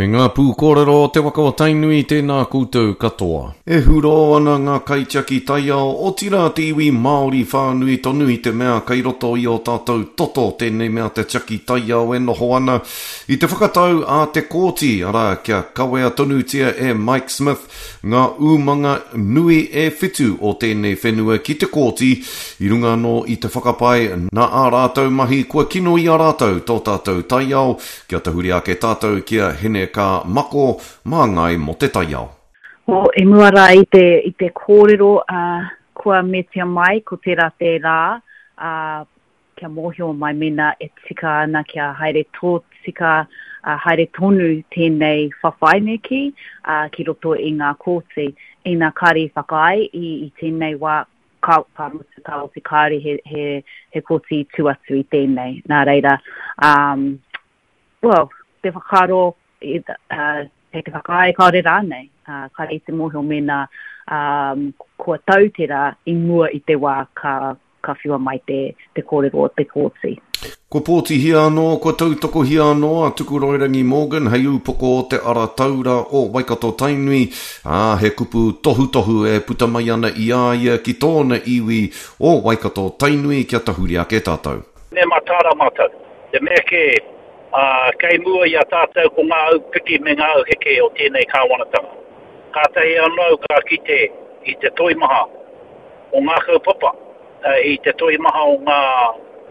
E ngā pūkōrero o te waka o Tainui, tēnā koutou katoa. E hurō ana ngā kaitiaki taiao, otirā te iwi Māori whānui tonu i te mea kei roto i ō tātou toto tēnei mea te tiaki taiao e noho ana i te whakatau a te kōti, arā, kia kawea tonutia e Mike Smith ngā umanga nui e whitu o tēnei whenua ki te kōti i runga anō i te whakapae nā ā rātou mahi kua kino i a rātou tō tātou taiao, kia tahuri ake tātou ki a Hine Ka Mako, māngai mō te taiao. Well, i mua rā i te, i te kōrero uh, kua metia mai, ko tērā te rā, uh, kia mōhio mai mēnā e tika ana kia haere tōtika, ā, haere tonu tēnei whawhai me kī, ā, ki roto i ngā kōti. Ina kāre i whakaae i, i tēnei wā, ka, ka mutu, ka oti kāore he, he, he kōti i tū atu i tēnei. Nā reira, um, well, te whakaaro, i, uh, kei te whakaae kāore rānei, uh, kāre i te mōhio mēnā um, kua tau tērā i mua i te wā ka, ka whiua mai te, te kōrero o te kōti. Kua pōtihia anō, kua tautokohia anō a Tukuroirangi Morgan hei ūpoko o te ara taura o Waikato-Tainui, ā, he kupu tohutohu e puta mai ana i a ia ki tōna iwi o Waikato-Tainui kia tahuri ake tātou. Me mataara mātou. Te mea kē, ā, kei mua i a tātou ko ngā aupiki me ngā auheke o tēnei kāwanatanga. Kātahi anō au ka kite i te toimaha o ngā kaupapa, i te toimaha o ngā,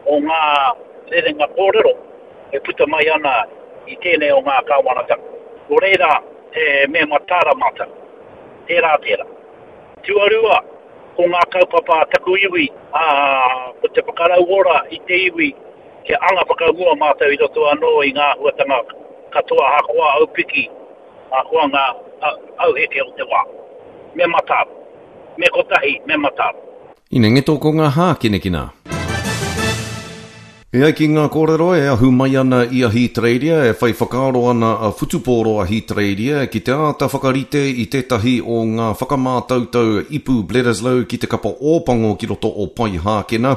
o ngā rerenga kōrero e puta mai ana i tēnei o ngā kāwanatanga. Nō reira, he me mataara mātou. Tērā, tērā. Tuarua, ko ngā kaupapa a taku iwi, ā, ko te whakarauora i te iwi kia anga whakamua mātou i roto anō i ngā āhuatanga katoa ahakoa aupiki, ahakoa ngā auheke o te wā. Me mataara. Me kotahi, me mataara. Inengeto ko ngā hākinakina. E ai ki ngā kōrero e ahu mai ana i Ahitereiria, e whai whakaaro ana a Whutupōro Ahitereiria ki te āta whakarite i tētahi o ngā whakamātautau ipu Bledisloe ki te kapa Ōpango ki roto o Poihākena,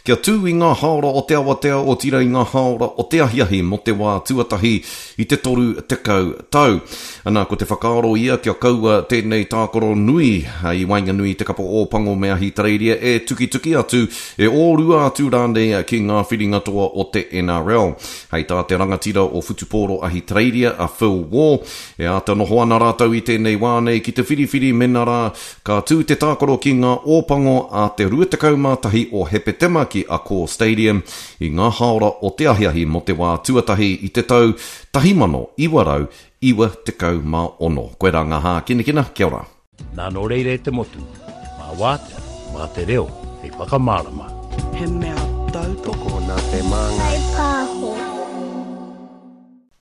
kia tū i ngā hāora o te awatea otirā i ngā hāora o te ahiahi mō te wā tuatahi i te 30 tau. Ana, ko te whakaaro ia kia kaua tēnei tākaro nui i waenganui i te kapa Ōpango me Ahitereiria e tukituki atu, e ōrua atu rānei ki ngā whiringa toa o te NRL. Hei tā te rangatira o Whutupōro Ahitereiria, a Phil Waugh, e āta noho ana rātou i tēnei wā nei ki te whiriwhiri mena rā ka tū te tākaro ki ngā Ōpango a te 21 o Hepetema ki Accor Stadium i ngā hāora o te ahiahi mō te wā tuatahi i te tau 1996. Koirā ngā hākinakina, kia ora. Nā nō reira e te motu, mā Wātea, mā te reo hei whakamārama. He mea tautoko. Nā te māngai. Whai pāho.